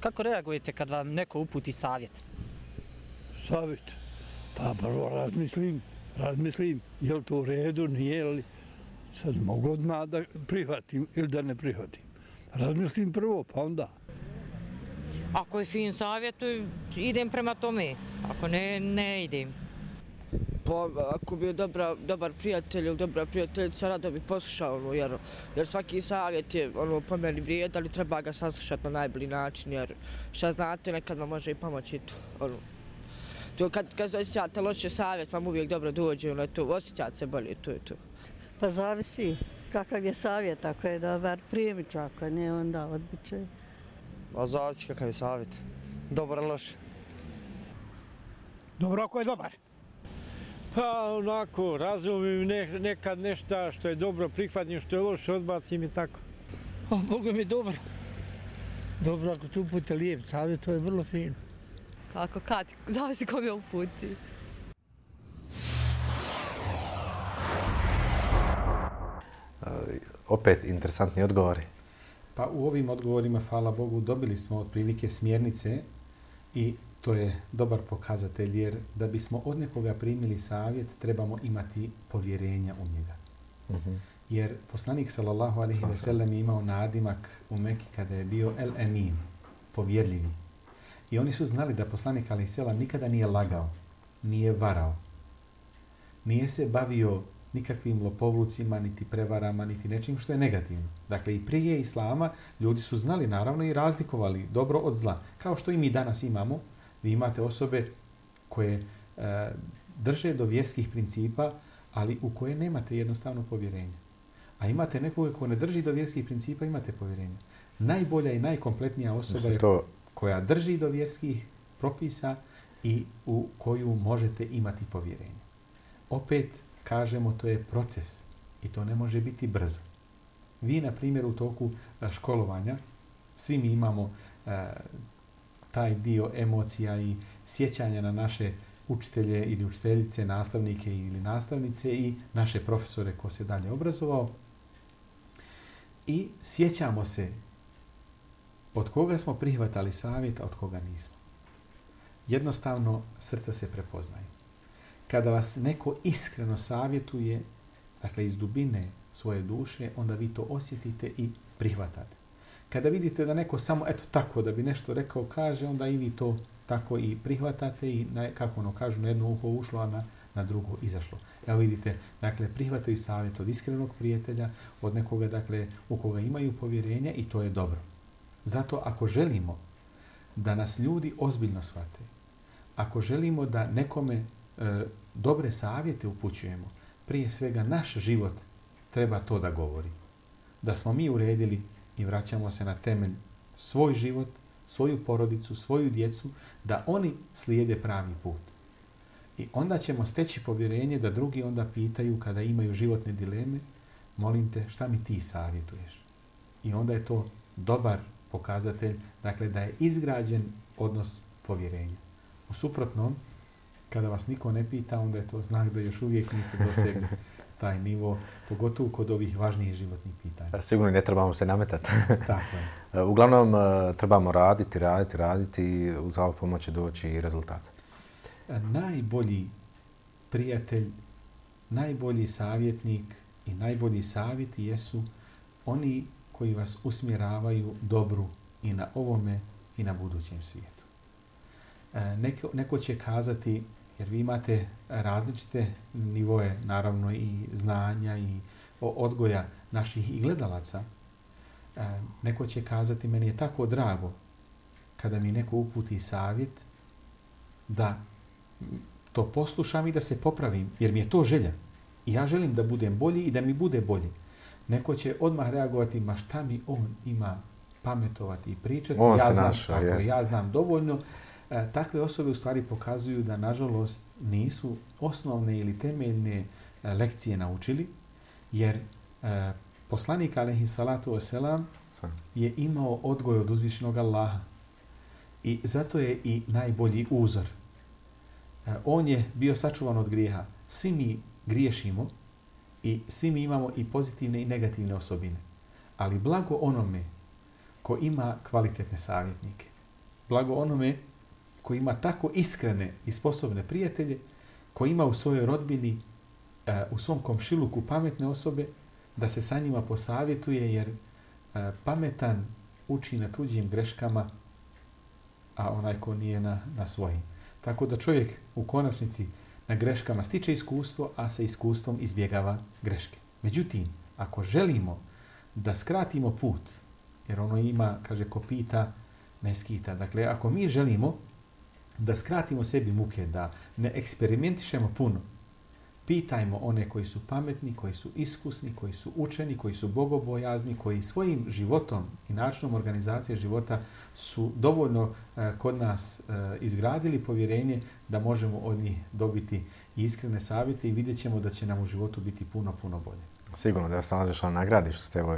Kako reagujete kad vam neko uputi savjet? Savjet? Pa prvo razmislim, razmislim, je li to u redu, nije li. Sad mogu odmah da prihvatim ili da ne prihvatim. Razmislim prvo, pa onda. Ako je fin savjet, idem prema tome. Ako ne, ne idem. Pa ako bi je dobra, dobar prijatelj ili dobra prijateljica, rado bi poslušao, ono, jer, jer svaki savjet je ono, po meni vrijed, ali treba ga saslušati na najbolji način, jer šta znate, nekad vam može i pomoći to. Ono. To kad, kad osjećate loše savjet, vam uvijek dobro dođe, ono, to, osjećate se bolje, to je to. Pa zavisi kakav je savjet, ako je dobar primit ću, ako ne onda odbit će. Pa zavisi kakav je savjet, dobar ili loš. Dobro ako je dobar. Pa onako, razumijem ne, nekad nešto što je dobro prihvatim, što je loše odbacim i tako. O, Bogu mi dobro. Dobro, ako tu upute lijep savjet, to je vrlo fino. Kako, kad, zavisi kom je uputi. Opet interesantni odgovori. Pa u ovim odgovorima, hvala Bogu, dobili smo otprilike smjernice i to je dobar pokazatelj, jer da bismo od nekoga primili savjet, trebamo imati povjerenja u njega. Uh-huh. Jer poslanik sallallahu alejhi ve sellem je imao nadimak u Meki kada je bio El Emin, povjerljivi. I oni su znali da poslanik alejhi selam nikada nije lagao, nije varao, nije se bavio nikakvim lopovlucima, niti prevarama, niti nečim što je negativno. Dakle, i prije islama ljudi su znali, naravno, i razlikovali dobro od zla. Kao što i mi danas imamo, vi imate osobe koje e, drže do vjerskih principa, ali u koje nemate jednostavno povjerenje. A imate nekoga ko ne drži do vjerskih principa, imate povjerenje. Najbolja i najkompletnija osoba je to koja drži do vjerskih propisa i u koju možete imati povjerenje. Opet, kažemo, to je proces i to ne može biti brzo. Vi, na primjer, u toku školovanja, svi mi imamo e, taj dio emocija i sjećanja na naše učitelje ili učiteljice, nastavnike ili nastavnice i naše profesore ko se dalje obrazovao. I sjećamo se od koga smo prihvatali savjet, a od koga nismo. Jednostavno, srca se prepoznaju. Kada vas neko iskreno savjetuje, dakle iz dubine svoje duše, onda vi to osjetite i prihvatate. Kada vidite da neko samo eto tako da bi nešto rekao kaže, onda i vi to tako i prihvatate i na, kako ono kažu, na jedno uho ušlo, a na, na drugo izašlo. Evo vidite, dakle, prihvataju savjet od iskrenog prijatelja, od nekoga, dakle, u koga imaju povjerenja i to je dobro. Zato ako želimo da nas ljudi ozbiljno shvate, ako želimo da nekome e, dobre savjete upućujemo, prije svega naš život treba to da govori. Da smo mi uredili i vraćamo se na temelj svoj život, svoju porodicu, svoju djecu, da oni slijede pravi put. I onda ćemo steći povjerenje da drugi onda pitaju kada imaju životne dileme, molim te, šta mi ti savjetuješ? I onda je to dobar pokazatelj, dakle, da je izgrađen odnos povjerenja. U suprotnom, kada vas niko ne pita, onda je to znak da još uvijek niste dosegli taj nivo, pogotovo kod ovih važnijih životnih pitanja. Sigurno ne trebamo se nametati. Tako je. Uglavnom, trebamo raditi, raditi, raditi i uz Allahovu pomoć će doći i rezultat. Najbolji prijatelj, najbolji savjetnik i najbolji savjeti jesu oni koji vas usmjeravaju dobru i na ovome i na budućem svijetu. Neko, neko će kazati, jer vi imate različite nivoje, naravno i znanja i odgoja naših i gledalaca, neko će kazati, meni je tako drago kada mi neko uputi savjet da to poslušam i da se popravim, jer mi je to želja. I ja želim da budem bolji i da mi bude bolji. Neko će odmah reagovati, ma šta mi on ima pametovati i pričati. On ja, se znam, našao, tako, ja znam dovoljno. E, takve osobe u stvari pokazuju da, nažalost, nisu osnovne ili temeljne e, lekcije naučili, jer e, poslanik, alejhi salatu wasalam, je imao odgoj od uzvišenog Allaha. I zato je i najbolji uzor. E, on je bio sačuvan od grijeha. Svi mi griješimo i svi mi imamo i pozitivne i negativne osobine. Ali blago onome ko ima kvalitetne savjetnike. Blago onome ko ima tako iskrene i sposobne prijatelje, ko ima u svojoj rodbini, u svom komšiluku pametne osobe, da se sa njima posavjetuje, jer pametan uči na tuđim greškama, a onaj ko nije na, na svojim. Tako da čovjek u konačnici na greškama stiče iskustvo, a sa iskustvom izbjegava greške. Međutim, ako želimo da skratimo put, jer ono ima, kaže, ko pita, ne skita. Dakle, ako mi želimo da skratimo sebi muke, da ne eksperimentišemo puno, pitajmo one koji su pametni, koji su iskusni, koji su učeni, koji su bogobojazni, koji svojim životom i načinom organizacije života su dovoljno eh, kod nas eh, izgradili povjerenje da možemo od njih dobiti iskrene savjete i vidjet ćemo da će nam u životu biti puno, puno bolje. Sigurno da vas nalaziš na nagradi što ste evo,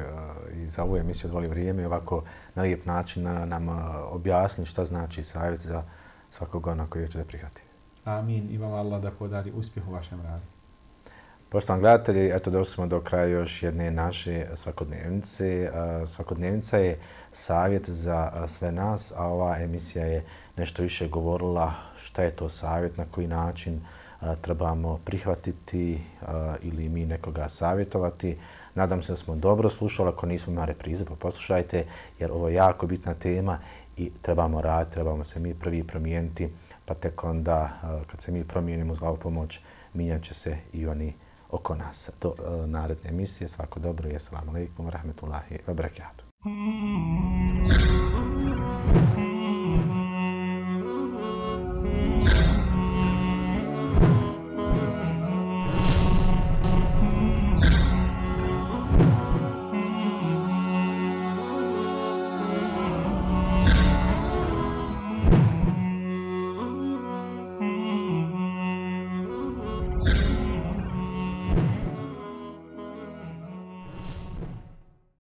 i za ovu emisiju odvoli vrijeme i ovako na lijep način nam objasni šta znači savjet za svakog ona koji će da prihvati. Amin. I vam Allah da podari uspjeh u vašem radu. Poštovani gledatelji, eto došli smo do kraja još jedne naše svakodnevnice. Svakodnevnica je savjet za sve nas, a ova emisija je nešto više govorila šta je to savjet, na koji način trebamo prihvatiti ili mi nekoga savjetovati. Nadam se da smo dobro slušali, ako nismo na reprize, pa poslušajte, jer ovo je jako bitna tema i trebamo raditi, trebamo se mi prvi promijeniti, pa tek onda kad se mi promijenimo uz Allahovu pomoć, mijenjat će se i oni oko nas. Do naredne emisije, svako dobro i assalamu alaikum wa rahmetullahi wa barakatuh.